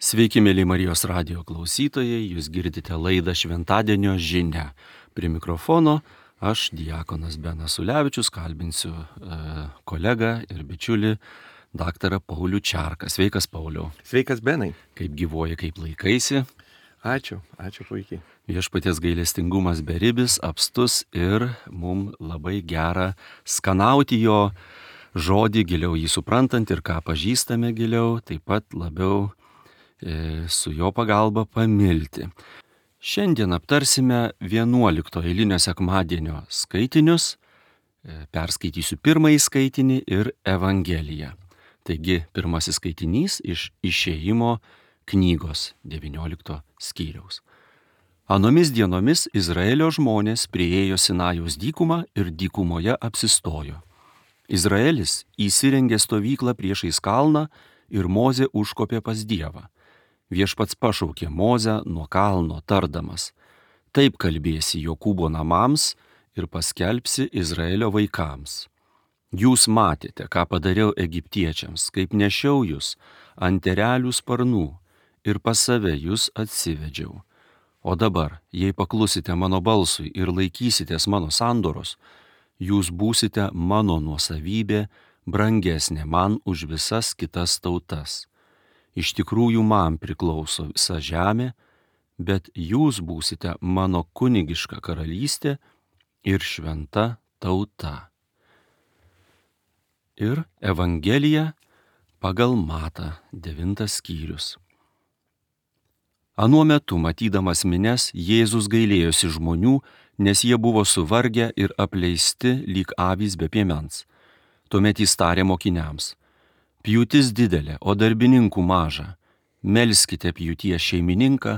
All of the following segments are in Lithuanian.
Sveiki, mėly Marijos radijo klausytojai, jūs girdite laidą Šventadienio žinia. Prie mikrofono aš, diakonas Benas Ulevičius, kalbinsiu kolegą ir bičiulį daktarą Paulių Čerką. Sveikas, Pauliau. Sveikas, Benai. Kaip gyvoji, kaip laikaisi? Ačiū puikiai. Viešpaties gailestingumas beribis, apstus ir mums labai gera skanauti jo žodį, giliau jį suprantant ir ką pažįstame giliau, taip pat labiau su jo pagalba pamilti. Šiandien aptarsime 11 eilinio sekmadienio skaitinius, perskaitysiu pirmąjį skaitinį ir Evangeliją. Taigi pirmasis skaitinys iš Išėjimo knygos 19 skyriaus. Anomis dienomis Izraelio žmonės priėjo Sinajaus dykumą ir dykumoje apsistojo. Izraelis įsirengė stovyklą priešais kalną ir Mozė užkopė pas Dievą. Viešpats pašaukė Mozę nuo kalno tardamas: taip kalbėsi Jokūbo namams ir paskelbsi Izraelio vaikams. Jūs matėte, ką padariau egiptiečiams, kaip nešiau jūs ant erelių sparnų ir pas save jūs atsivedžiau. O dabar, jei paklusite mano balsui ir laikysitės mano sandoros, jūs būsite mano nuosavybė, brangesnė man už visas kitas tautas. Iš tikrųjų man priklauso visa žemė, bet jūs būsite mano kunigiška karalystė ir šventa tauta. Ir Evangelija pagal Matą 9 skyrius. Anuo metu, matydamas minias, Jėzus gailėjosi žmonių, nes jie buvo suvargę ir apleisti lyg avys be piemens. Tuomet jis tarė mokiniams: pjūtis didelė, o darbininkų maža. Melskite pjūties šeimininką,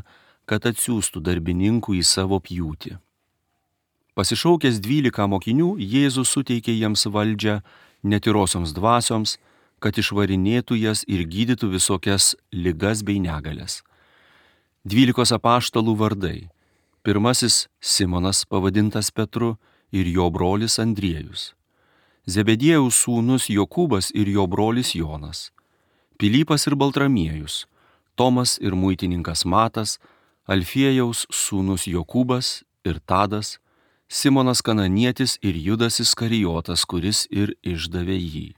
kad atsiųstų darbininkų į savo pjūtį. Pasišaukęs 12 mokinių, Jėzus suteikė jiems valdžią netyrosioms dvasioms, kad išvarinėtų jas ir gydytų visokias ligas bei negalias. 12 apaštalų vardai. Pirmasis Simonas, pavadintas Petru, ir jo brolis Andriejus. Zebediejaus sūnus Jokūbas ir jo brolis Jonas. Pilypas ir Baltramiejus. Tomas ir muitininkas Matas. Alfiejaus sūnus Jokūbas ir Tadas. Simonas Kananietis ir Judas Iskarijotas, kuris ir išdavė jį.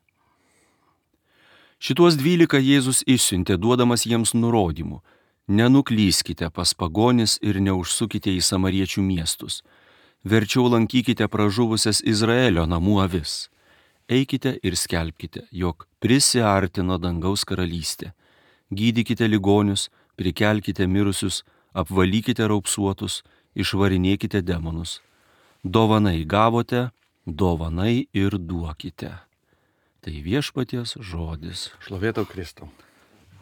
Šituos 12 Jėzus išsiuntė, duodamas jiems nurodymų: nenuklyskite pas pagonis ir neužsukite į samariečių miestus. Verčiau lankykite pražuvusias Izraelio namų avis. Eikite ir skelbkite, jog prisiartino dangaus karalystė. Gydykite ligonius, prikelkite mirusius, apvalykite raupsuotus, išvarinėkite demonus. Dovanai gavote, dovanai ir duokite. Tai viešpaties žodis. Šlovė tau, Kristau.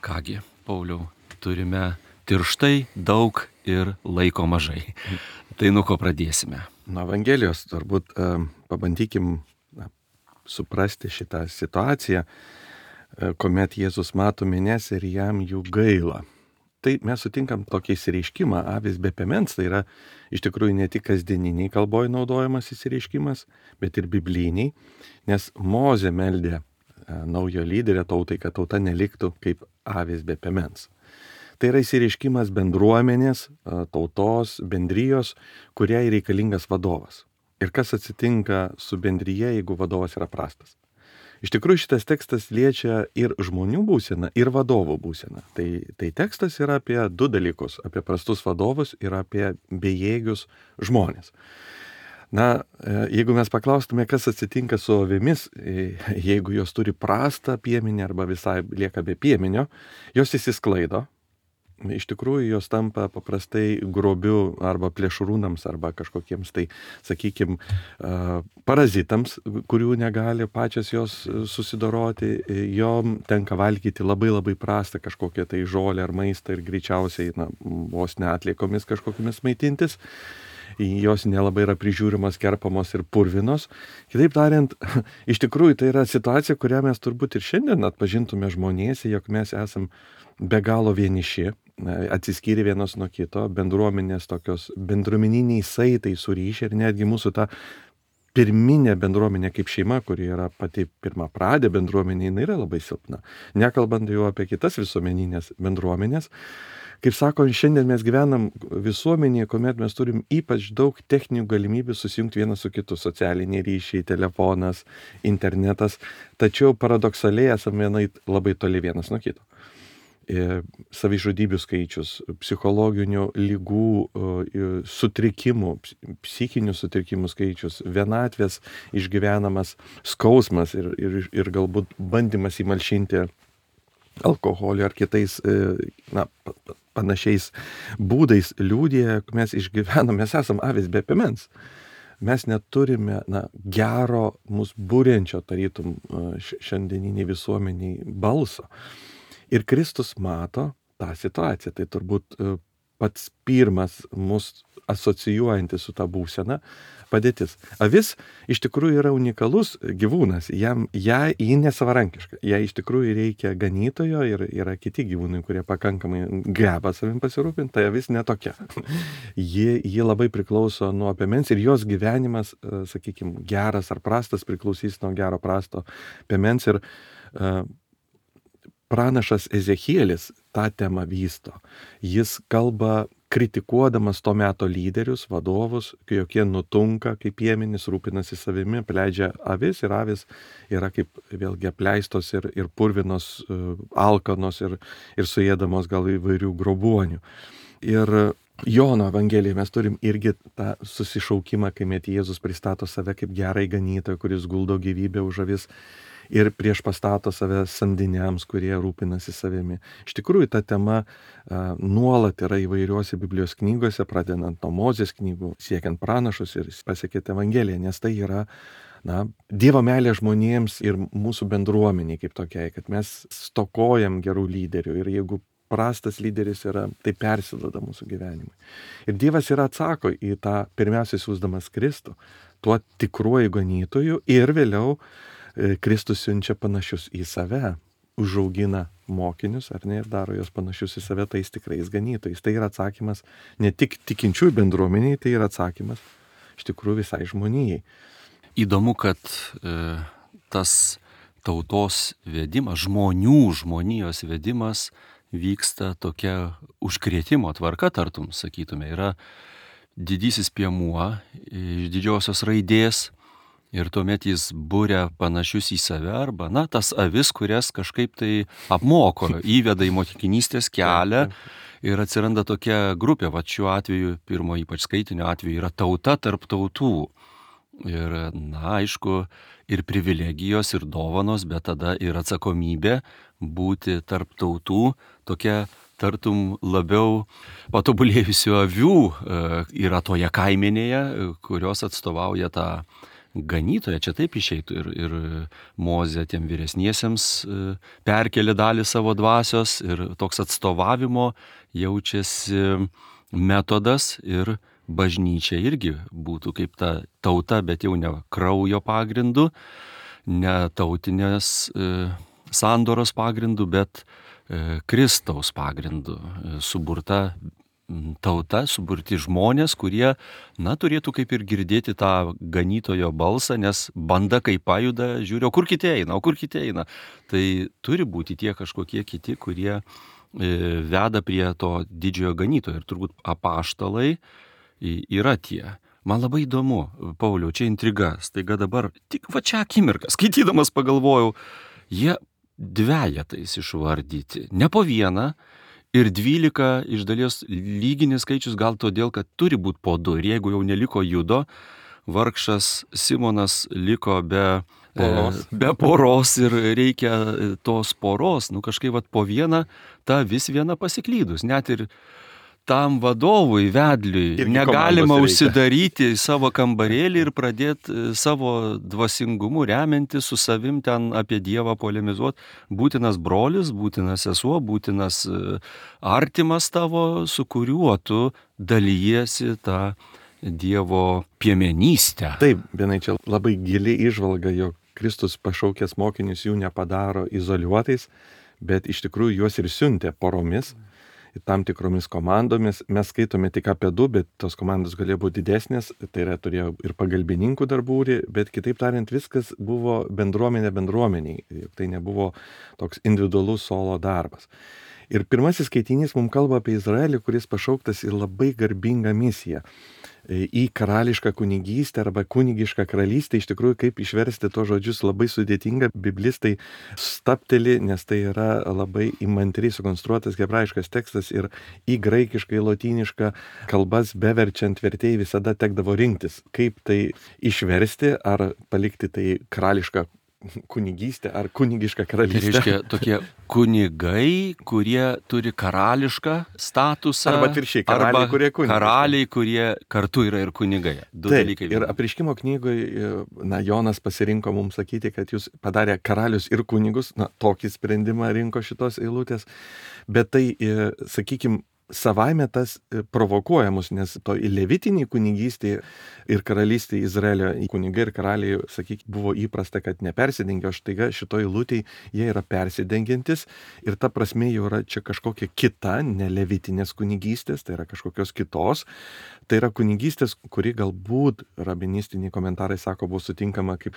Kągi, Pauliau, turime tirštai daug ir laiko mažai. Tai nuo ko pradėsime? Nuo Evangelijos turbūt pabandykim suprasti šitą situaciją, kuomet Jėzus mato minias ir jam jų gaila. Tai mes sutinkam tokį išsireiškimą, avis be piemens, tai yra iš tikrųjų ne tik kasdieniniai kalboje naudojamas išsireiškimas, bet ir bibliniai, nes Mozė meldė naujo lyderio tautai, kad tauta neliktų kaip avis be piemens. Tai yra išsireiškimas bendruomenės, tautos, bendrijos, kuriai reikalingas vadovas. Ir kas atsitinka su bendryje, jeigu vadovas yra prastas. Iš tikrųjų šitas tekstas liečia ir žmonių būseną, ir vadovų būseną. Tai tekstas yra apie 2 dalykus, apie prastus vadovus ir apie bejėgius žmonės. Na, jeigu mes paklaustume, kas atsitinka su avimis, jeigu jos turi prastą piemenį arba visai lieka be piemenio, jos išsisklaido. Iš tikrųjų, jos tampa paprastai grobiu arba plėšrūnams arba kažkokiems tai, sakykime, parazitams, kurių negali pačios jos susidoroti. Jom tenka valgyti labai prastą kažkokią tai žolę ar maistą ir greičiausiai vos neatliekomis kažkokiamis maitintis. Jos nelabai yra prižiūrimos, kerpamos ir purvinos. Kitaip tariant, iš tikrųjų tai yra situacija, kurią mes turbūt ir šiandien atpažintume žmonėse, jog mes esam be galo vieniši, atsiskyrė vienas nuo kito, bendruomenės tokios bendruomeniniai saitai suryšę ir netgi mūsų ta pirminė bendruomenė kaip šeima, kuri yra pati pirmapradė bendruomenė, jinai yra labai silpna. Nekalbant jau apie kitas visuomeninės bendruomenės. Kaip sako, šiandien mes gyvenam visuomenėje, kuomet mes turim ypač daug techninių galimybių susijungti vienas su kitu. Socialiniai ryšiai, telefonas, internetas. Tačiau paradoksaliai esame labai toli vienas nuo kito. Savižudybių skaičius, psichologinių lygų, sutrikimų, psichinių sutrikimų skaičius, vienatvės išgyvenamas skausmas ir galbūt bandymas įmalšinti alkoholiu ar kitais panašiais būdais liudija, mes išgyvename, mes esam avys be piemens. Mes neturime gero, mus būrenčio tarytum šiandieniniai visuomeniai balso. Ir Kristus mato tą situaciją. Tai turbūt pats pirmas mus asocijuojantis su tą būseną padėtis. Avis iš tikrųjų yra unikalus gyvūnas. Ji nesavarankiška. Jai iš tikrųjų reikia ganytojo ir yra kiti gyvūnai, kurie pakankamai geba savim pasirūpinti. Tai avis netokia. Ji labai priklauso nuo piemens ir jos gyvenimas, sakykime, geras ar prastas priklausys nuo gero prasto piemens. Ir pranašas Ezechielis tą temą vysto. Jis kalba kritikuodamas to meto lyderius, vadovus, jokie nutunka kaip piemenys, rūpinasi savimi, pleidžia avis ir avis yra kaip vėlgi apleistos ir purvinos, alkanos ir suėdamos gal įvairių grobuonių. Ir Jono Evangelijoje mes turim irgi tą susišaukimą, kai Jėzus pristato save kaip gerai ganytoją, kuris guldo gyvybę už avis. Ir prieš pastato save samdiniams, kurie rūpinasi savimi. Iš tikrųjų, ta tema nuolat yra įvairiuose Biblijos knygose, pradedant nuo Mozės knygų, siekiant pranašus ir pasiekėti Evangeliją, nes tai yra Dievo meilė žmonėms ir mūsų bendruomeniai kaip tokiai, kad mes stokojam gerų lyderių ir jeigu prastas lyderis yra, tai persiduoda mūsų gyvenimui. Ir Dievas yra atsako į tą pirmiausiai siųsdamas Kristų, tuo tikruoju ganytoju ir vėliau Kristus siunčia panašius į save, užaugina mokinius, ar ne, ir daro juos panašius į save tais tikrais ganytojais. Tai yra atsakymas ne tik tikinčiųjų bendruomeniai, tai yra atsakymas iš tikrųjų visai žmonijai. Įdomu, kad tas tautos vedimas, žmonijos vedimas vyksta tokia užkrėtimo tvarka, tartum, sakytume, yra didysis piemuo iš didžiosios raidės. Ir tuomet jis būria panašius į save arba, tas avis, kurias kažkaip tai apmoko, įveda į mokinystės kelią ir atsiranda tokia grupė. Va šiuo atveju, pirmo ypač skaitinio atveju, yra tauta tarp tautų. Ir, aišku, ir privilegijos, ir dovanos, bet tada ir atsakomybė būti tarp tautų, tokia tartum labiau patobulėjusių avių yra toje kaimenėje, kurios atstovauja tą ganytoja, čia taip išeitų ir Mozė tiem vyresniesiems perkelė dalį savo dvasios ir toks atstovavimo jaučiasi metodas ir bažnyčia irgi būtų kaip ta tauta, bet jau ne kraujo pagrindu, ne tautinės sandoros pagrindu, bet Kristaus pagrindu suburta tauta, suburti žmonės, kurie, turėtų kaip ir girdėti tą ganytojo balsą, nes banda kaip pajuda, žiūri, o kur kiti eina. Tai turi būti tie kažkokie kiti, kurie veda prie to didžiojo ganytojo. Ir turbūt apaštalai yra tie. Man labai įdomu, Pauliau, čia intriga. Staiga dabar, tik va čia akimirką, skaitydamas pagalvojau, jie dvejetais išvardyti, ne po vieną, ir 12 iš dalies lyginis skaičius gal todėl, kad turi būti po 2. Ir jeigu jau neliko Judo, vargšas Simonas liko be poros ir reikia tos poros, kažkaip po vieną, ta vis viena pasiklydus. Net ir tam vadovui, vedliui, negalima užsidaryti į savo kambarėlį ir pradėti savo dvasingumu remianti su savim ten apie Dievą polemizuoti. Būtinas brolis, būtinas sesuo, būtinas artimas tavo, su kuriuo tu dalyjiesi tą Dievo piemenystę. Taip, vienai čia labai gili įžvalga, jog Kristus pašaukęs mokinius jų nepadaro izoliuotais, bet iš tikrųjų juos ir siuntė poromis. tam tikromis komandomis. Mes skaitome tik apie 2, bet tos komandos galėjo būti didesnės, tai yra turėjo ir pagalbininkų darbūrį, bet kitaip tariant, viskas buvo bendruomenė bendruomeniai. Tai nebuvo toks individualus solo darbas. Ir pirmasis skaitinys mums kalba apie Izraelį, kuris pašauktas į labai garbingą misiją. Į karališką kunigystę arba kunigišką karalystę. Iš tikrųjų, kaip išversti to žodžius labai sudėtinga. Biblistai stapteli, nes tai yra labai įmantriai sukonstruotas hebrajiškas tekstas ir į graikišką, į lotynišką kalbas beverčiant vertėjai visada tekdavo rinktis, kaip tai išversti, ar palikti tai karališką kunigystę ar kunigišką Tai karalystę. reiškia tokie kunigai, kurie turi karališką statusą. Arba atvirkščiai, karaliai, kurie kunigai. Karaliai, kurie kartu yra ir kunigai. Du Taip, dalykai. ir Apreiškimo knygoje, Jonas pasirinko mums sakyti, kad jūs padarė karalius ir kunigus, tokį sprendimą rinko šitos eilutės, bet tai, sakykime, savaime tas provokuoja mus, nes to levitinį kunigystį ir karalystį Izraelio kunigai ir karaliai, sakykime, buvo įprasta, kad nepersidengia, o štaiga šitoj eilutėj jie yra persidengiantis ir ta prasme jau yra čia kažkokia kita, ne levitinės kunigystės, tai yra kažkokios kitos. Tai yra kunigystės, kuri galbūt rabinistiniai komentarai sako, buvo sutinkama kaip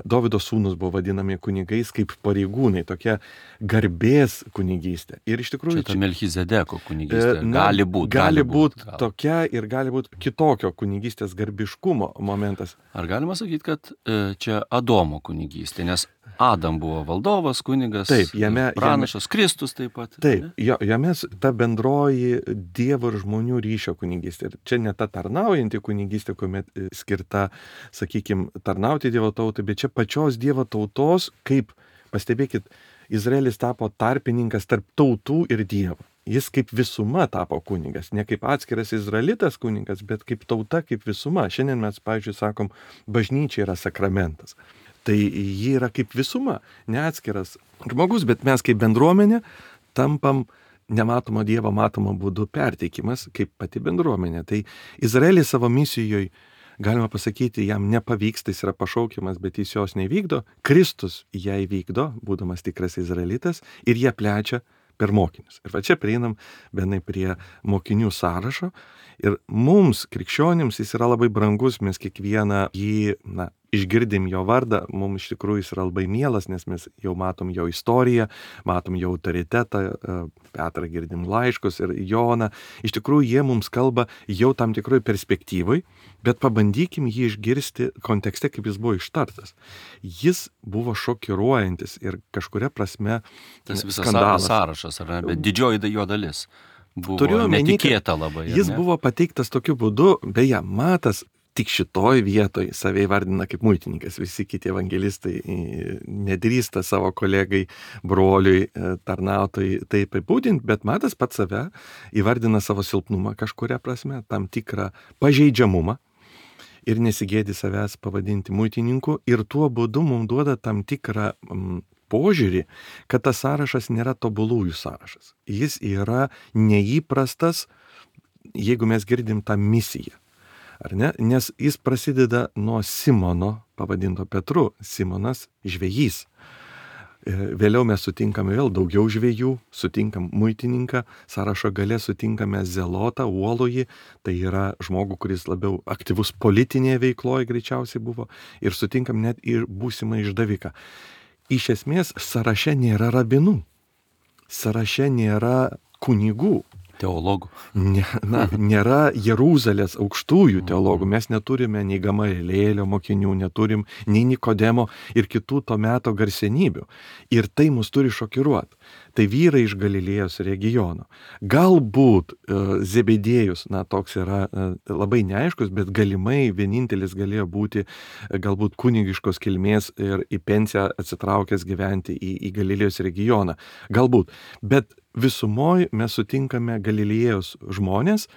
Dovydo sūnus buvo vadinami kunigais kaip pareigūnai, tokia garbės kunigystė. Ir iš tikrųjų Čia ta Melchizedeko kunigystė. Gali būti tokia ir gali būti kitokio kunigystės garbiškumo momentas. Ar galima sakyti, kad čia Adomo kunigystė, nes Adam buvo valdovas, kunigas, taip, pranašas, Kristus taip pat. Taip, jame ta bendroji Dievo ir žmonių ryšio kunigystė. Ir čia ne ta tarnaujanti kunigystė, kuomet skirta, sakykime, tarnauti Dievo tautai, bet čia pačios Dievo tautos, kaip, pastebėkit, Izraelis tapo tarpininkas tarp tautų ir Dievo. Jis kaip visuma tapo kunigas, ne kaip atskiras izraelitas kunigas, bet kaip tauta, kaip visuma. Šiandien mes, pavyzdžiui, sakom, bažnyčia yra sakramentas. Tai ji yra kaip visuma, ne atskiras žmogus, bet mes kaip bendruomenė tampam nematomo Dievo matomo būdu perteikimas kaip pati bendruomenė. Tai Izraelis savo misijoje, galima pasakyti, jam nepavyksta, jis yra pašaukiamas, bet jis jos nevykdo. Kristus ją įvykdo, būdamas tikras izraelitas, ir jie plečia per mokinius. Ir va čia prieinam vienai prie mokinių sąrašo. Ir mums, krikščionims, jis yra labai brangus, mes kiekvieną jį, išgirdim jo vardą, mums iš tikrųjų jis yra labai mielas, nes mes jau matom jo istoriją, matom jo autoritetą, Petrą girdim laiškus ir Joną. Iš tikrųjų jie mums kalba jau tam tikroj perspektyvai, bet pabandykim jį išgirsti kontekste, kaip jis buvo ištartas. Jis buvo šokiruojantis ir kažkuria prasme tas visas skandalas. Sąrašas, ar ne? Bet didžioji jo dalis buvo omeny, netikėta labai. Jis buvo pateiktas tokiu būdu, beje, Matas tik šitoj vietoj save įvardina kaip muitininkas. Visi kiti evangelistai nedrįsta savo kolegai, broliui, tarnautojai taip apibūdinti, bet Matas pats save įvardina savo silpnumą kažkuria prasme, tam tikrą pažeidžiamumą ir nesigėdi savęs pavadinti muitininku ir tuo būdu mums duoda tam tikrą požiūrį, kad tas sąrašas nėra tobulųjų sąrašas. Jis yra neįprastas, jeigu mes girdim tą misiją. Ar ne? Nes jis prasideda nuo Simono, pavadinto Petru, Simonas žvejys. Vėliau mes sutinkame vėl daugiau žvejų, sutinkam muitininką, sąrašo gale sutinkame zelotą, uolųjį, tai yra žmogų, kuris labiau aktyvus politinėje veikloje greičiausiai buvo, ir sutinkam net ir būsimą išdaviką. Iš esmės, sąraše nėra rabinų, sąraše nėra kunigų. Teologų. Nėra Jeruzalės aukštųjų teologų. Mes neturime nei Gamalėlio mokinių, neturim nei Nikodemo ir kitų to meto garsenybių. Ir tai mus turi šokiruoti. Tai vyrai iš Galilėjos regiono. Galbūt Zebedėjus, toks yra labai neaiškus, bet galimai vienintelis galėjo būti galbūt kunigiškos kilmės ir į pensiją atsitraukęs gyventi į Galilėjos regioną. Galbūt. Bet visumoje mes sutinkame Galilėjos žmonės,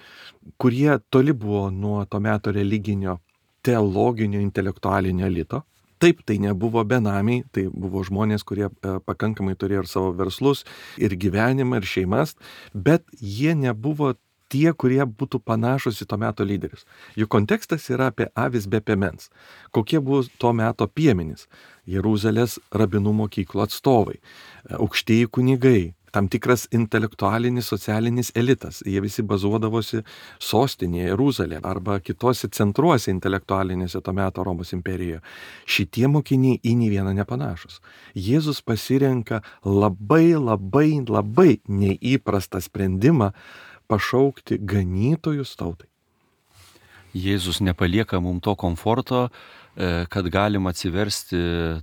kurie toli buvo nuo to meto religinio, teologinio, intelektualinio elito. Taip, tai nebuvo benamiai, tai buvo žmonės, kurie pakankamai turėjo ir savo verslus, ir gyvenimą, ir šeimas, bet jie nebuvo tie, kurie būtų panašus į to meto lyderius. Jų kontekstas yra apie avis be piemens. Kokie buvo to meto piemenys? Jeruzalės rabinų mokyklų atstovai, aukštieji kunigai, tam tikras intelektualinis, socialinis elitas. Jie visi bazuodavosi sostinėje, Jeruzalėje arba kitose centruose intelektualinėse to meto Romos imperijoje. Šitie mokiniai į nei vieną nepanašus. Jėzus pasirenka labai neįprastą sprendimą pašaukti ganytojus tautai. Jėzus nepalieka mums to komforto, kad galim atsiversti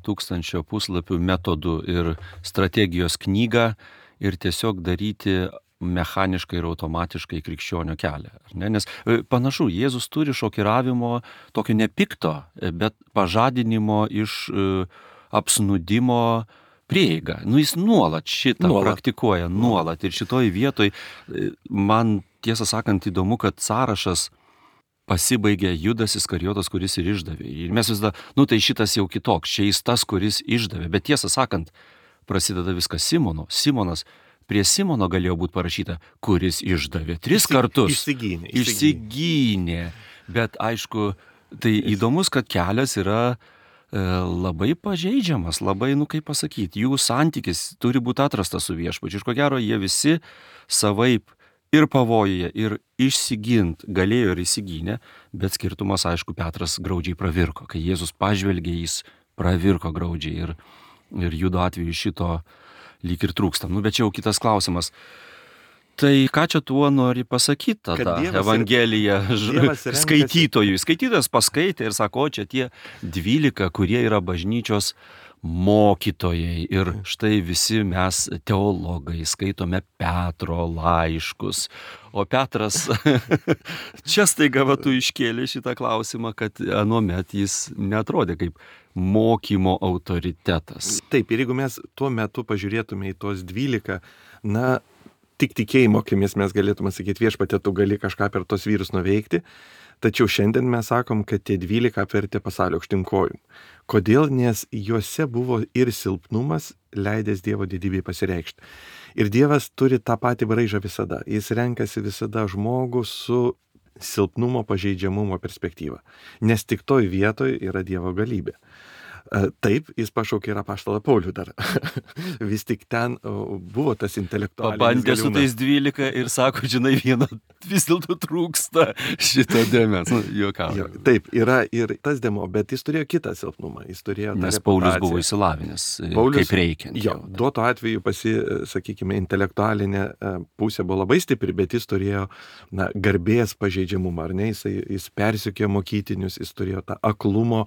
1000 puslapių metodų ir strategijos knygą ir tiesiog daryti mechaniškai ir automatiškai krikščionio kelią. Nes panašu, Jėzus turi šokiravimo, tokio nepikto, bet pažadinimo iš apsnudimo prieigą. Jis nuolat šitą praktikuoja, nuolat. Ir šitoj vietoj man tiesą sakant įdomu, kad sąrašas pasibaigė Judas Iskarijotas, kuris ir išdavė. Ir mes visada, tai šitas jau kitoks, čia jis tas, kuris išdavė. Bet tiesą sakant, prasideda viskas Simono. Simonas, prie Simono galėjo būti parašyta, kuris išdavė 3 kartus. Išsigynė. Bet aišku, tai įdomus, kad kelias yra labai pažeidžiamas, labai, kaip pasakyti, jų santykis turi būti atrastas su viešpačiu. Ir ko gero, jie visi savaip ir pavojuje, ir išsigint galėjo ir įsigynė, bet skirtumas, aišku, Petras graudžiai pravirko. Kai Jėzus pažvelgė, jis pravirko graudžiai ir Judo atveju šito lyg ir trūksta. Bet čia jau kitas klausimas. Tai ką čia tuo nori pasakyti tada Evangelija skaitytojui? Skaitytojas paskaitė ir sako, čia tie 12, kurie yra bažnyčios mokytojai. Ir štai visi mes teologai skaitome Petro laiškus. O Petras čia staiga tu iškėlė šitą klausimą, kad anuomet jis neatrodė kaip mokymo autoritetas. Taip, ir jeigu mes tuo metu pažiūrėtume į tos 12, tik tikėjimo akimis mes galėtume sakyti, Viešpatie, tu gali kažką per tos vyrus nuveikti. Tačiau šiandien mes sakom, kad tie 12 apvertė pasaulio aukštyn kojom. Kodėl? Nes juose buvo ir silpnumas, leidęs Dievo didybei pasireikšti. Ir Dievas turi tą patį braižą visada. Jis renkasi visada žmogų su silpnumo, pažeidžiamumo perspektyva. Nes tik toj vietoj yra Dievo galybė. Taip, jis pašaukė ir apaštalą Paulių dar. Vis tik ten buvo tas intelektualinis pabandė su tais 12 ir sako, žinai, vieno vis dėlto trūksta šito dėmens. Juokauju. Taip, yra ir tas dėmo, bet jis turėjo kitą silpnumą. Jis turėjo nes Paulius buvo išsilavinęs, kaip reikiant. Duo to atveju sakykime, intelektualinė pusė buvo labai stipri, bet jis turėjo garbės pažeidžiamumą, ar ne? Jis persikėjo mokytinius, jis turėjo tą aklumo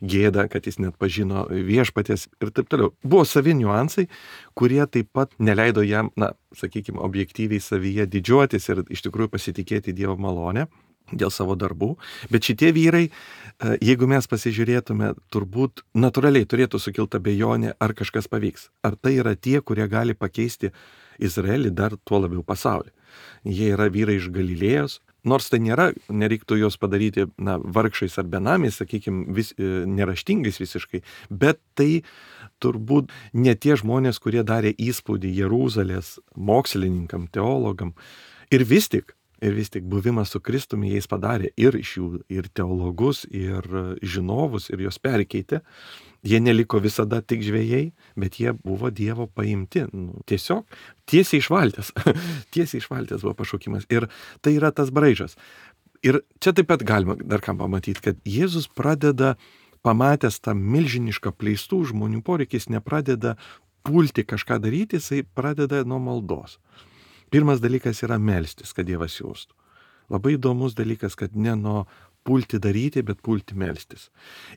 gėdą, kad jis net pažino viešpaties ir taip toliau. Buvo savi niuansai, kurie taip pat neleido jam, sakykime, objektyviai savyje didžiuotis ir iš tikrųjų pasitikėti Dievo malonę dėl savo darbų. Bet šitie vyrai, jeigu mes pasižiūrėtume, turbūt natūraliai turėtų sukilti abejonė, ar kažkas pavyks. Ar tai yra tie, kurie gali pakeisti Izraelį, dar tuo labiau pasaulį. Jie yra vyrai iš Galilėjos. Nors tai nereiktų jos padaryti vargšais ar benamiais, sakykime, neraštingais visiškai, bet tai turbūt ne tie žmonės, kurie darė įspūdį Jeruzalės mokslininkam, teologam. Ir vis tik buvimas su Kristumi jais padarė ir iš jų ir teologus, ir žinovus, ir jos perkeitė. Jie neliko visada tik žvejai, bet jie buvo Dievo paimti. Tiesiog tiesiai iš valties. Tiesiai iš valties buvo pašaukimas. Ir tai yra tas braižas. Ir čia taip pat galima dar ką pamatyti, kad Jėzus pradeda, pamatęs tą milžinišką pleistų žmonių poreikį, jis nepradeda pulti kažką daryti, jisai pradeda nuo maldos. Pirmas dalykas yra melstis, kad Dievas siųstų. Labai įdomus dalykas, kad ne nuo pulti daryti, bet pulti melstis.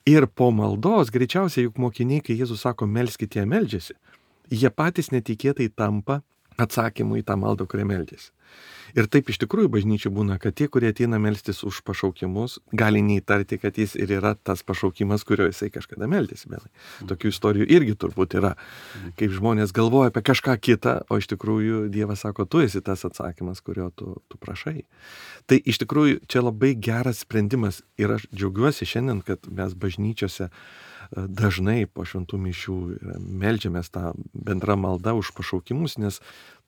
Ir po maldos, greičiausiai juk mokiniai, kai Jėzus sako, melskite, jie meldžiasi, jie patys netikėtai tampa atsakymu į tą maldą, kurią meldžiasi. Ir taip iš tikrųjų bažnyčių būna, kad tie, kurie ateina melstis už pašaukimus, gali neįtarti, kad jis ir yra tas pašaukimas, kurio jisai kažkada meldėsi. Tokių istorijų irgi turbūt yra, kaip žmonės galvoja apie kažką kitą, o iš tikrųjų Dievas sako, tu esi tas atsakymas, kurio tu prašai. Tai iš tikrųjų čia labai geras sprendimas ir aš džiaugiuosi šiandien, kad mes bažnyčiose dažnai po šventų mišių meldžiamės tą bendrą maldą už pašaukimus, nes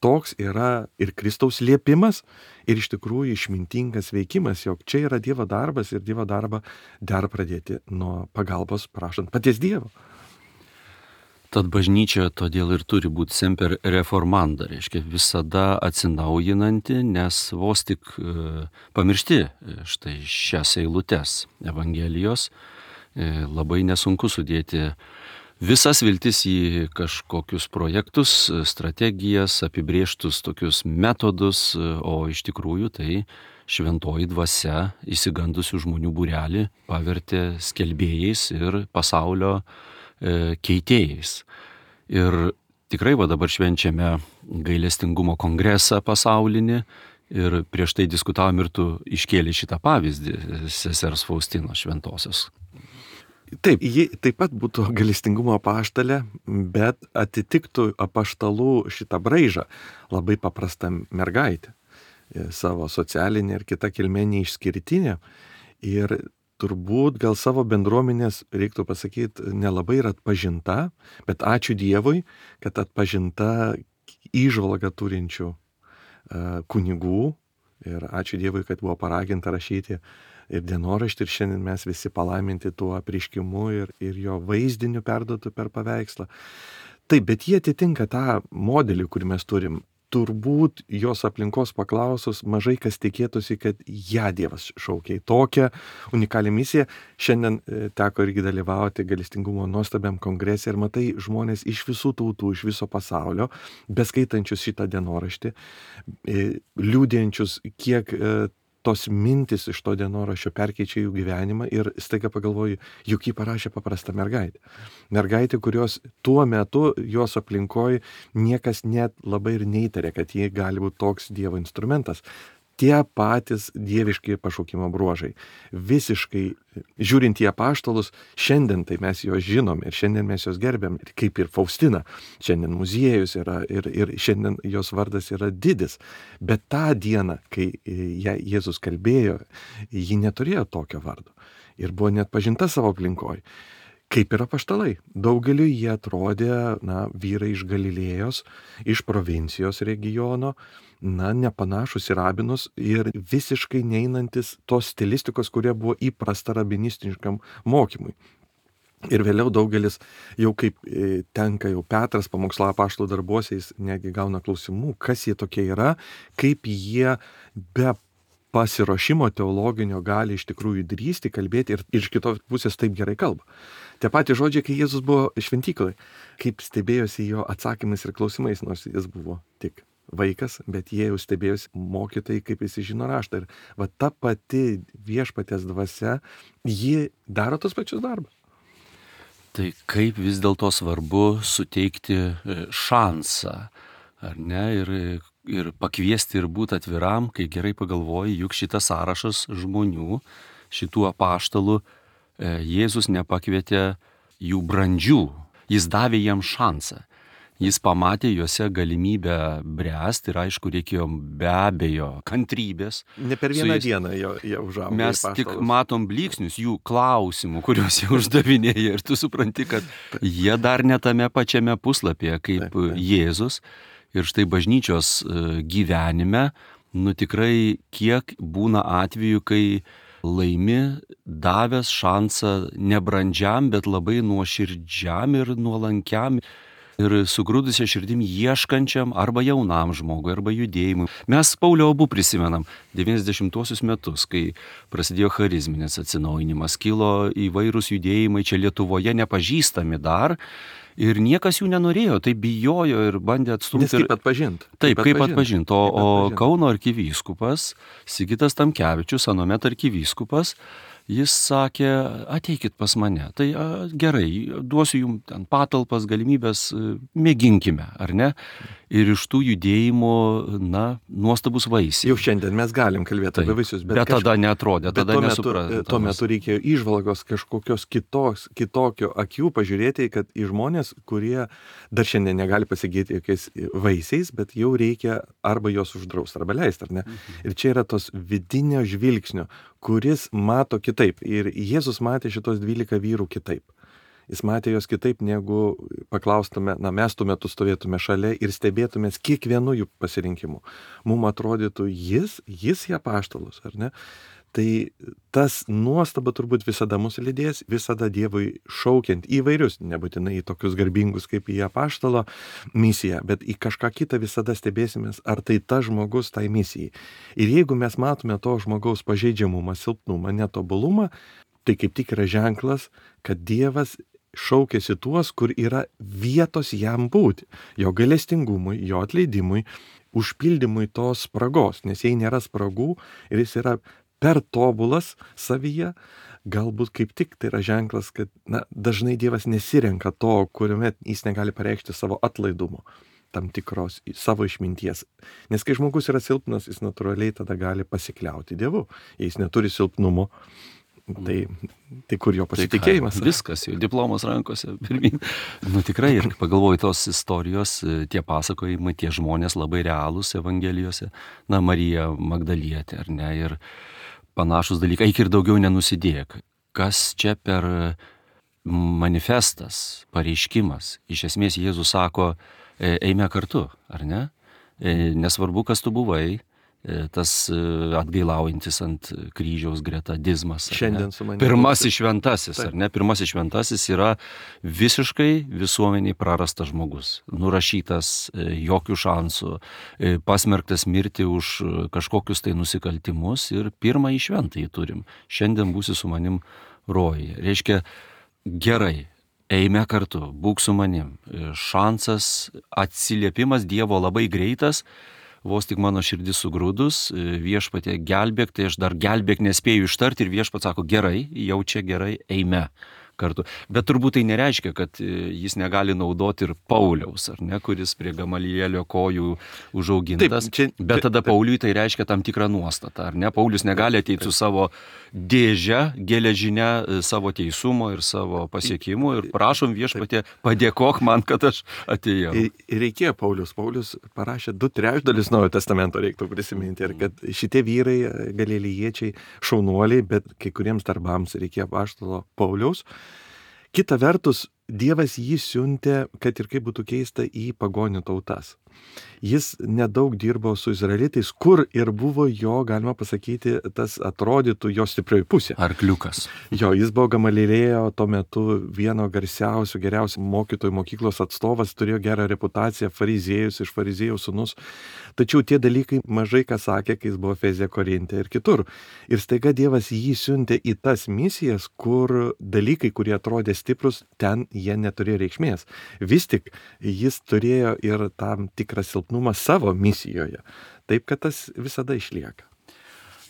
toks yra ir Kristaus liepimas, ir iš tikrųjų išmintingas veikimas, jog čia yra Dievo darbas ir Dievo darbą dar pradėti nuo pagalbos prašant paties Dievo. Tad bažnyčia todėl ir turi būti semper reformanda, reiškia visada atsinaujinanti, nes vos tik pamiršti štai šias eilutes Evangelijos, labai nesunku sudėti visas viltis į kažkokius projektus, strategijas, apibrėžtus tokius metodus, o iš tikrųjų tai šventoji dvasia išsigandusių žmonių būrelį pavertė skelbėjais ir pasaulio keitėjais. Ir tikrai dabar švenčiame gailestingumo kongresą pasaulinį ir prieš tai diskutavom ir tu iškėlė šitą pavyzdį sesers Faustinos šventosios. Taip, ji taip pat būtų gailestingumo apaštalė, bet atitiktų apaštalų šitą braižą labai paprasta mergaitė, savo socialinė ir kita kilmė neišskirtinė. Ir turbūt gal savo bendruomenės, reiktų pasakyti, nelabai yra atpažinta, bet ačiū Dievui, kad atpažinta įžvalgą turinčių kunigų ir ačiū Dievui, kad buvo paraginta rašyti ir dienoraštį ir šiandien mes visi palaiminti tuo apreiškimu ir jo vaizdiniu perduotu per paveikslą. Taip, bet jie atitinka tą modelį, kurį mes turim. Turbūt jos aplinkos paklausus mažai kas tikėtųsi, kad ją Dievas šaukia į tokią unikalią misiją. Šiandien teko irgi dalyvauti gailestingumo nuostabiam kongrese ir matai žmonės iš visų tautų, iš viso pasaulio, beskaitančius šitą dienoraštį, liūdėjančius, kiek tos mintis iš to dienoraščio perkeičia jų gyvenimą ir staiga pagalvoju, juk jį parašė paprasta mergaitė. Mergaitė, kurios tuo metu jos aplinkoje niekas net labai ir neįtarė, kad ji gali būti toks Dievo instrumentas. Tie patys dieviški pašaukimo bruožai. Visiškai žiūrint į apaštalus, šiandien tai mes juos žinom ir šiandien mes juos gerbiam, kaip ir Faustina. Šiandien muziejus yra ir šiandien jos vardas yra didis. Bet tą dieną, kai Jėzus kalbėjo, ji neturėjo tokio vardo ir buvo net pažinta savo aplinkoje. Kaip ir apaštalai. Daugeliu jie atrodė, vyrai iš Galilėjos, iš provincijos regiono, nepanašus į rabinus ir visiškai neinantis tos stilistikos, kurie buvo įprasta rabinistiškam mokymui. Ir vėliau daugelis, jau kaip tenka jau Petras pamokslo apaštalų darbuose, jis netgi gauna klausimų, kas jie tokie yra, kaip jie be pasiruošimo teologinio gali iš tikrųjų drįsti kalbėti ir iš kitos pusės taip gerai kalba. Tie patys žodžiai, kai Jėzus buvo šventyklai, kaip stebėjosi jo atsakymais ir klausimais, nors jis buvo tik vaikas, bet jie jau stebėjosi mokytojai, kaip jis žino raštą. Ir ta pati viešpaties dvasia, ji daro tos pačius darbus. Tai kaip vis dėlto svarbu suteikti šansą, ar ne, ir pakviesti ir būti atviram, kai gerai pagalvoji, juk šitas sąrašas žmonių, šitų apaštalų, Jėzus nepakvietė jų brandžių, jis davė jiems šansą. Jis pamatė juose galimybę bręsti ir aišku reikėjo be abejo kantrybės. Ne per vieną dieną jie užaugo. Mes tik matom blyksnius jų klausimų, kuriuos jie uždavinėja ir tu supranti, kad jie dar ne tame pačiame puslapyje kaip Jėzus. Ir štai bažnyčios gyvenime, tikrai kiek būna atvejų, kai laimi davęs šansą nebrandžiam, bet labai nuoširdžiam ir nuolankiam ir sugrūdusią širdim ieškančiam arba jaunam žmogui, arba judėjimui. Mes Paulio abu prisimenam 90-osius metus, kai prasidėjo charizminis atsinaujinimas, kilo įvairūs judėjimai čia Lietuvoje nepažįstami dar. Ir niekas jų nenorėjo, tai bijojo ir bandė atstumti. Nes kaip atpažint. Taip, kaip atpažint. O Kauno arkivyskupas, Sigitas Tamkevičius, anuomet arkivyskupas, jis sakė, ateikit pas mane. Tai gerai, duosiu jums ten patalpas, galimybės, mėginkime, ar ne? Ir iš tų judėjimų, nuostabus vaisiai. Jau šiandien mes galim kalbėti apie vaisius, bet tada neatrodė, tada nesuprantama. Tuo metu reikėjo įžvalgos kažkokios kitokio akių pažiūrėti, kad į žmonės, kurie dar šiandien negali pasigyti jokiais vaisiais, bet jau reikia arba juos uždrausti, arba leisti, ar ne? Ir čia yra tos vidinio žvilgsnio, kuris mato kitaip. Ir Jėzus matė šitos 12 vyrų kitaip. Jis matė jos kitaip, negu paklaustume, mes tuo metu stovėtume šalia ir stebėtumės kiekvienu jų pasirinkimu. Mums atrodytų, jis į apaštalus, ar ne? Tai tas nuostaba turbūt visada mūsų lydės, visada Dievui šaukiant įvairius, nebūtinai į tokius garbingus kaip į apaštalo misiją, bet į kažką kitą visada stebėsimės, ar tai tas žmogus tai misijai. Ir jeigu mes matome to žmogaus pažeidžiamumą, silpnumą, netobulumą, tai kaip tik yra ženklas, kad Dievas šaukėsi tuos, kur yra vietos jam būti, jo gailestingumui, jo atleidimui, užpildymui tos spragos, nes jei nėra spragų ir jis yra per tobulas savyje, galbūt kaip tik tai yra ženklas, kad dažnai Dievas nesirenka to, kuriuomet jis negali pareikšti savo atlaidumo, tam tikros savo išminties. Nes kai žmogus yra silpnas, jis natūraliai tada gali pasikliauti Dievu. Jei jis neturi silpnumo, tai kur jo pasitikėjimas? Viskas, jau diplomas rankose pirmin. Tikrai, ir pagalvoju, tos istorijos, tie pasakojimai, tie žmonės labai realūs Evangelijose. Marija Magdalietė, ar ne, ir panašus dalykai, eik ir daugiau nenusidėk. Kas čia per manifestas, pareiškimas? Iš esmės Jėzus sako, eime kartu, ar ne? Nesvarbu, kas tu buvai, tas atgailaujantis ant kryžiaus greta Dizmas. Šiandien su manimi. Pirmasis šventasis, ar ne? Pirmasis šventasis yra visiškai visuomeniai prarastas žmogus. Nurašytas, jokių šansų, pasmerktas mirti už kažkokius tai nusikaltimus ir pirmąjį šventąjį turim. Šiandien būsi su manim rojuje. Reiškia, gerai. Eime kartu, būk su manim. Šansas, atsiliepimas Dievo labai greitas, vos tik mano širdis sugrūdus, viešpatie gelbėk, tai aš dar gelbėk nespėju ištarti ir viešpats sako, gerai, jau čia gerai, eime kartu. Bet turbūt tai nereiškia, kad jis negali naudoti ir Pauliaus, ar ne, kuris prie Gamalielio kojų užaugintas. Bet tada Pauliui tai reiškia tam tikrą nuostatą, ar ne? Paulius negali ateiti su savo dėžę, geležinę savo teisumo ir savo pasiekimų ir prašom viešpatie, padėkok man, kad aš atėjau. Ir reikėjo Paulius parašė 2/3 Naujojo testamento, reiktų prisiminti, ir kad šitie vyrai, galilėjiečiai, šaunuoliai, bet kai kuriems darbams reikėjo apaštalo Pauliaus. Kita vertus, Dievas jį siuntė, kad ir kaip būtų keista, į pagonių tautas. Jis nedaug dirbo su izraelitais, kur ir buvo jo, galima pasakyti, tas atrodytų jo stiprioji pusė. Arkliukas. Jo, jis buvo Gamalilėjo tuo metu vieno garsiausių, geriausių mokytojų mokyklos atstovas, turėjo gerą reputaciją, fariziejus, iš fariziejų sūnus. Tačiau tie dalykai mažai ką sakė, kai jis buvo Efeze, Korinte ir kitur. Ir staiga Dievas jį siuntė į tas misijas, kur dalykai, kurie atrodė stiprus, ten jie neturėjo reikšmės. Vis tik jis turėjo ir tam tikrą silpnumą savo misijoje. Taip, kad tas visada išlieka.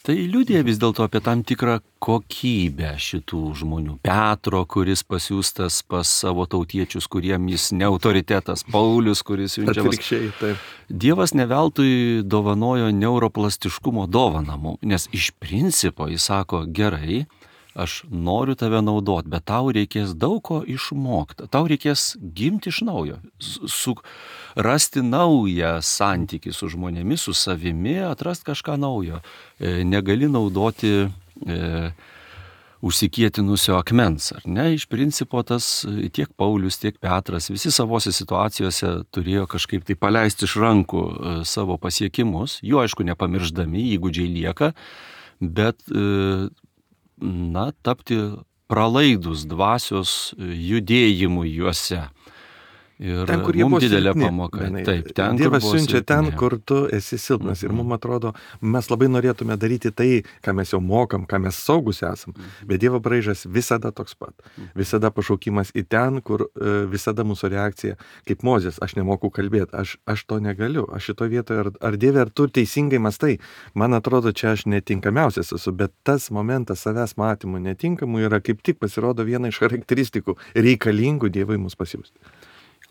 Tai liudija vis dėlto apie tam tikrą kokybę šitų žmonių. Petro, kuris pasiųstas pas savo tautiečius, kuriem jis ne autoritetas. Paulius, kuris siunčiamas. Atvirkščiai, taip. Dievas ne veltui dovanojo neuroplastiškumo dovaną mums, nes iš principo jis sako, gerai, aš noriu tave naudoti, bet tau reikės daug ko išmokti. Tau reikės gimti iš naujo, rasti naują santykį su žmonėmis, su savimi, atrasti kažką naujo. Negali naudoti užsikietinusio akmens, ar ne? Iš principo tas tiek Paulius, tiek Petras, visi savose situacijose turėjo kažkaip tai paleisti iš rankų savo pasiekimus, jų aišku nepamirždami, įgūdžiai lieka, bet tapti pralaidus dvasios judėjimui juose. Ir ten, kur jie buvo didelė silpni, pamoka. Benai. Taip, ten, Dievas kur siunčia ten, silpni. kur tu esi silpnas. Ir mums atrodo, mes labai norėtume daryti tai, ką mes jau mokam, ką mes saugus esam. Bet Dievo braižas visada toks pat. Visada pašaukimas į ten, kur visada mūsų reakcija, kaip Mozės, aš nemoku kalbėti, aš to negaliu. Aš šito vietoje, ar Dieve, ar tu teisingai mąstai, man atrodo, čia aš netinkamiausias esu, bet tas momentas savęs matymų netinkamų yra kaip tik pasirodo viena iš charakteristikų reikalingų Dievui mus pasiųsti.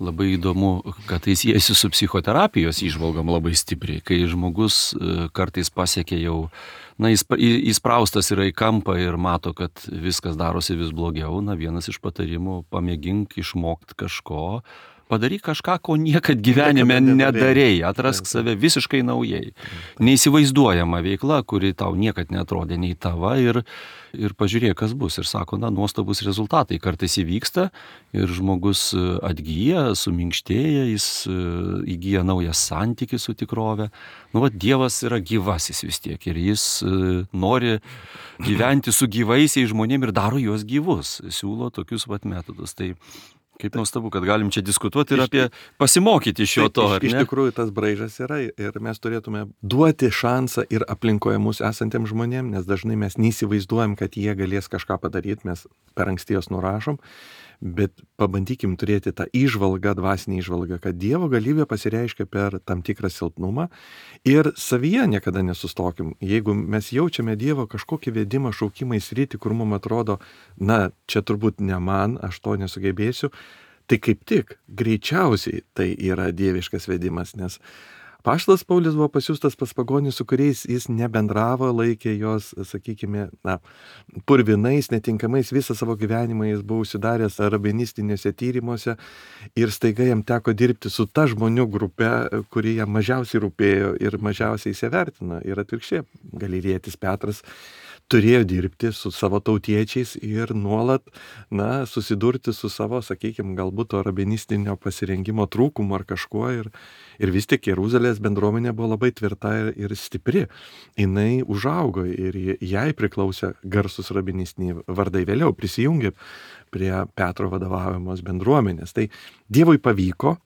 Labai įdomu, kad tai siejasi su psichoterapijos įžvalgom labai stipriai, kai žmogus kartais pasiekia jau, įspraustas yra į kampą ir mato, kad viskas darosi vis blogiau. Vienas iš patarimų, pamėgink išmokti kažko, padaryk kažką, ko niekad gyvenime nedarėjai, atrask save visiškai naujai. Neįsivaizduojama veikla, kuri tau niekad neatrodė nei tava ir pažiūrėk, kas bus. Ir sako, nuostabus rezultatai kartais įvyksta ir žmogus atgyja, suminkštėja, jis įgyja naują santykį su tikrove. Dievas yra gyvasis vis tiek ir jis nori gyventi su gyvaisiais žmonėmis ir daro juos gyvus, siūlo tokius metodus. Tai kaip nuostabu, kad galim čia diskutuoti ir apie pasimokyti iš to. Iš tikrųjų tas braižas yra ir mes turėtume duoti šansą ir aplinkoje mūsų esantiems žmonėms, nes dažnai mes neįsivaizduojam, kad jie galės kažką padaryti, mes per anksti jos nurašom, bet pabandykim turėti tą įžvalgą, dvasinį įžvalgą, kad Dievo galybė pasireiškia per tam tikrą silpnumą ir savyje niekada nesustokim. Jeigu mes jaučiame Dievo kažkokį vedimą, šaukimą į sritį, kur mums atrodo, čia turbūt ne man, aš to nesugebėsiu, tai kaip tik greičiausiai tai yra dieviškas vedimas, nes apaštalas Paulius buvo pasiųstas pas pagonį, su kuriais jis nebendravo, laikė jos, sakykime, purvinais, netinkamais, visą savo gyvenimą jis buvo užsidaręs rabinistiniuose tyrimuose ir staiga jam teko dirbti su ta žmonių grupe, kuri jam mažiausiai rūpėjo ir mažiausiai įsivertino. Ir atvirkščiai, Galilietis Petras turėjo dirbti su savo tautiečiais ir nuolat, susidurti su savo, sakykime, galbūt to rabinistinio pasirengimo trūkumu ar kažkuo. Ir vis tik Jeruzalės bendruomenė buvo labai tvirta ir stipri. Jinai užaugo ir jai priklausė garsus rabinistiniai vardai. Vėliau prisijungė prie Petro vadovaujamos bendruomenės. Tai Dievui pavyko.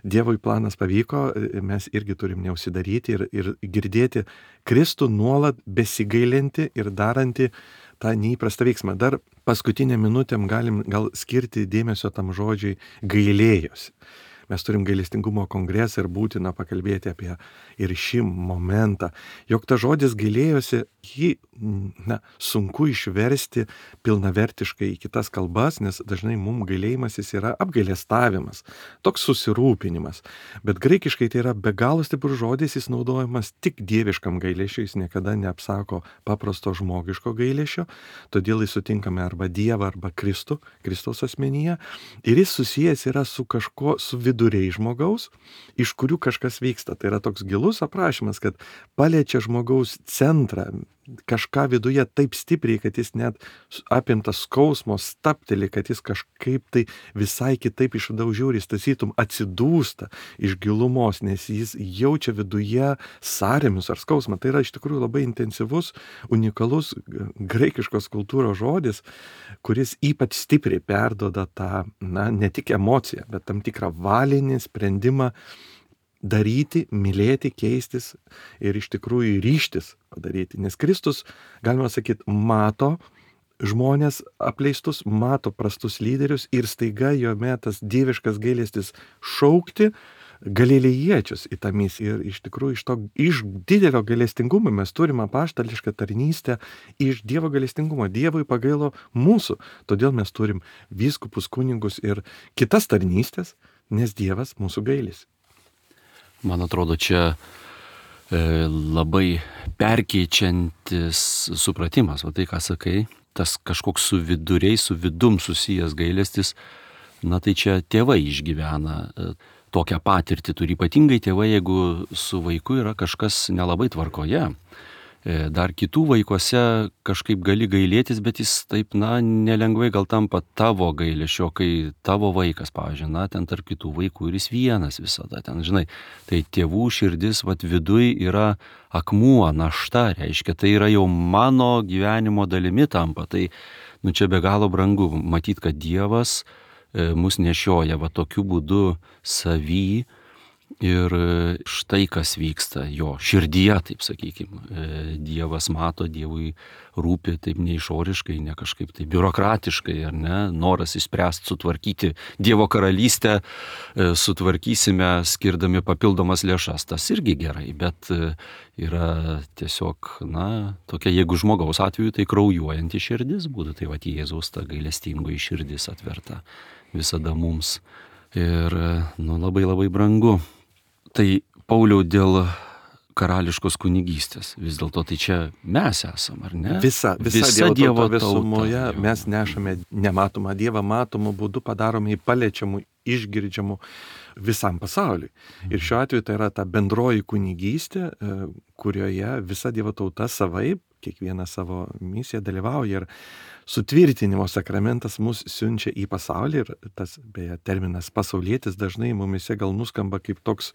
Dievui planas pavyko, mes irgi turim neužsidaryti ir girdėti Kristų nuolat besigailinti ir darantį tą neįprastą veiksmą. Dar paskutinę minutėm galim gal skirti dėmesio tam žodžiui gailėjosi. Mes turim gailestingumo kongresą ir būtina pakalbėti apie ir šį momentą. Jog ta žodis gailėjosi, jį sunku išversti pilnavertiškai į kitas kalbas, nes dažnai mums gailėjimasis yra apgailestavimas, toks susirūpinimas. Bet graikiškai tai yra be galo stiprus žodis, jis naudojamas tik dieviškam gailėšiui, jis niekada neapsako paprasto žmogiško gailėšio, todėl jis sutinkame arba Dievą, arba Kristų, Kristaus asmenyje. Ir jis susijęs yra su kažko, su viduriai žmogaus, iš kurių kažkas vyksta. Tai yra toks gilus aprašymas, kad paliečia žmogaus centrą, kažką viduje taip stipriai, kad jis net apimtas skausmo stapteli, kad jis kažkaip tai visai kitaip iš vidaus žiūri, jis tasytum atsidūsta iš gilumos, nes jis jaučia viduje sąrėmius ar skausmą. Tai yra iš tikrųjų labai intensyvus, unikalus graikiškos kultūros žodis, kuris ypač stipriai perduoda tą, ne tik emociją, bet tam tikrą valinį sprendimą daryti, mylėti, keistis ir iš tikrųjų ryžtis padaryti. Nes Kristus, galima sakyti, mato žmonės apleistus, mato prastus lyderius ir staiga jome tas dieviškas gailestis šaukti galilėjiečius į tą misiją. Ir iš tikrųjų iš didelio gailestingumo mes turime apaštališką tarnystę iš Dievo gailestingumo. Dievui pagailo mūsų, todėl mes turim vyskupus, kunigus ir kitas tarnystės, nes Dievas mūsų gailisi. Man atrodo, čia labai perkeičiantis supratimas, tai ką sakai, tas kažkoks su viduriai, su vidum susijęs gailestis, tai čia tėvai išgyvena tokią patirtį, turi ypatingai tėvai, jeigu su vaiku yra kažkas nelabai tvarkoje. Dar kitų vaikuose kažkaip gali gailėtis, bet jis taip, nelengvai gal tampa tavo gailėšio, kai tavo vaikas, pavyzdžiui, ten tarp kitų vaikų ir jis vienas visada ten, žinai. Tai tėvų širdis, viduj yra akmuo, našta, reiškia, tai yra jau mano gyvenimo dalimi tampa. Tai, čia be galo brangu matyti, kad Dievas mus nešioja tokiu būdu savy. Ir štai kas vyksta jo širdyje, taip sakykime. Dievas mato, Dievui rūpi taip ne išoriškai, ne kažkaip taip biurokratiškai, ar ne, noras išspręsti, sutvarkyti Dievo karalystę, sutvarkysime skirdami papildomas lėšas. Tas irgi gerai, bet yra tiesiog, tokia, jeigu žmogaus atveju, tai kraujuojanti širdis būtų, tai Jėzaus ta gailestingoji širdis atverta visada mums. Ir, labai labai brangu. Tai Pauliau dėl karališkos kunigystės, vis dėlto tai čia mes esam, ar ne? Visa Dievo tauta visumoje mes nešame nematomą Dievą, matomų būdų padarome į paliečiamų išgirdžiamu visam pasauliui. Ir šiuo atveju tai yra ta bendroji kunigystė, kurioje visa Dievo tauta savaip, kiekviena savo misiją dalyvauja ir sutvirtinimo sakramentas mus siunčia į pasaulį ir tas, beje, terminas pasaulietis dažnai mumise gal nuskamba kaip toks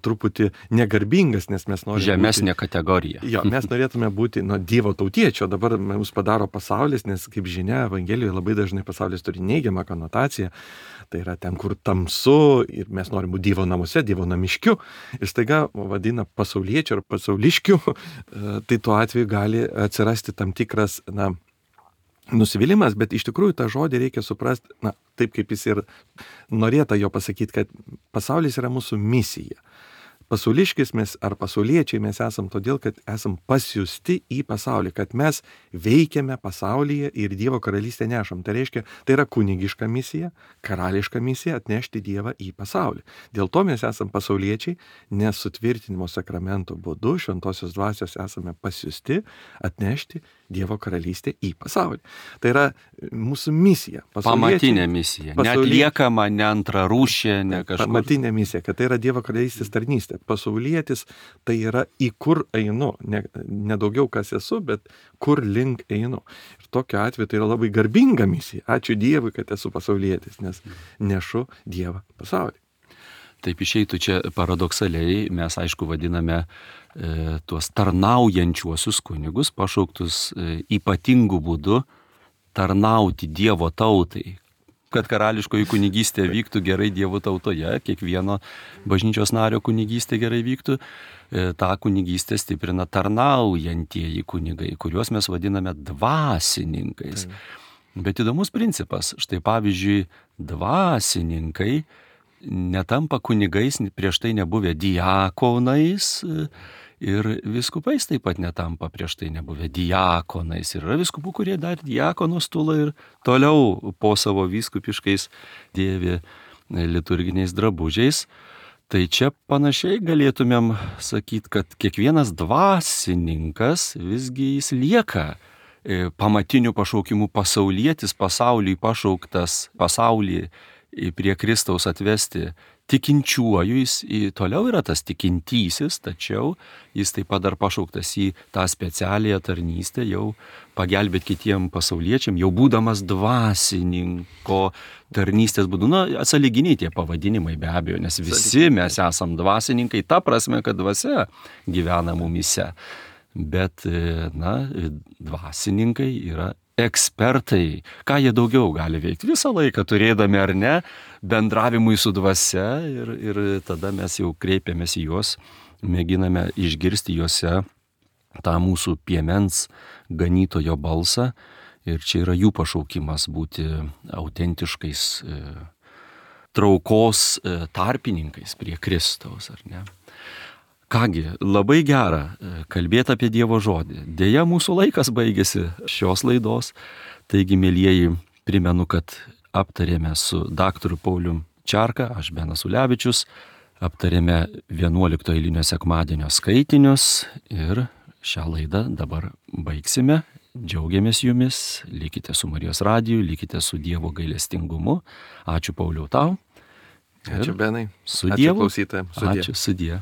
truputį negarbingas, nes mes norime žemesnė kategorija. Jo, mes norėtume būti Dievo tautiečio, dabar mums padaro pasaulis, nes kaip žinia, Evangelijoje labai dažnai pasaulis turi neigiamą konotaciją, tai yra ten, kur tamsu ir mes norim būti Dievo namuose, Dievo namiškiu ir staiga vadina pasauliečiu ar pasauliškiu, tai tuo atveju gali atsirasti tam tikras, nusivylimas, bet iš tikrųjų tą žodį reikia suprasti, taip kaip jis ir norėta jo pasakyti, kad pasaulis yra mūsų misija. Pasauliškis mes ar pasauliečiai mes esam todėl, kad esam pasiųsti į pasaulį, kad mes veikiame pasaulyje ir Dievo karalystę nešam. Tai reiškia, tai yra kunigiška misija, karališka misija atnešti Dievą į pasaulį. Dėl to mes esam pasauliečiai, nes sutvirtinimo sakramento būdu šventosios dvasios esame pasiųsti atnešti Dievo karalystę į pasaulį. Tai yra mūsų misija. Pamatinė misija. Neatliekama, ne antrarūšė, ne kažkur. Pamatinė misija, kad tai yra Dievo karalystės tarnystė. Pasaulietis tai yra į kur einu. Ne daugiau kas esu, bet kur link einu. Ir tokiu atveju tai yra labai garbinga misija. Ačiū Dievui, kad esu pasaulietis, nes nešu Dievą pasaulį. Taip išeitų čia paradoksaliai, mes aišku vadiname tuos tarnaujančiuosius kunigus, pašauktus ypatingų būdų tarnauti Dievo tautai. Kad karališkoji kunigystė vyktų gerai Dievo tautoje, kiekvieno bažnyčios nario kunigystė gerai vyktų, tą kunigystę stiprina tarnaujantieji kunigai, kuriuos mes vadiname dvasininkais. Bet įdomus principas, štai pavyzdžiui, dvasininkai netampa kunigais, prieš tai nebuvę diakonais ir viskupais taip pat netampa prieš tai nebuvę diakonais. Ir yra viskupų, kurie dar diakonų stulą ir toliau po savo vyskupiškais dėvi liturginiais drabužiais. Tai čia panašiai galėtumėm sakyti, kad kiekvienas dvasininkas visgi jis lieka pamatinių pašaukimų pasaulietis, pasauliui pašauktas, pasaulį prie Kristaus atvesti tikinčiuoju, jis toliau yra tas tikintysis, tačiau jis taip pat dar pašauktas į tą specialią tarnystę, jau pagelbėti kitiem pasauliečiam, jau būdamas dvasininko tarnystės būdu. Atsąlyginiai tie pavadinimai be abejo, nes visi mes esam dvasininkai, ta prasme, kad dvasia gyvena mumise. Bet, dvasininkai yra ekspertai. Ką jie daugiau gali veikti? Visą laiką turėdami ar ne, bendravimui su dvasia ir tada mes jau kreipiamės į juos, mėginame išgirsti juose tą mūsų piemens ganytojo balsą ir čia yra jų pašaukimas būti autentiškais traukos tarpininkais prie Kristaus, ar ne? Kągi, labai gera kalbėti apie Dievo žodį. Deja, mūsų laikas baigėsi šios laidos. Taigi, mielieji, primenu, kad aptarėme su daktaru Paulium Čarka, aš Benas Ulevičius, aptarėme 11 eilinio sekmadienio skaitinius ir šią laidą dabar baigsime. Džiaugiamės jumis, likite su Marijos radiju, likite su Dievo gailestingumu. Ačiū Pauliau tau. Ačiū Benai. Su Ačiū Dievu. Klausytojams. Ačiū, sudie.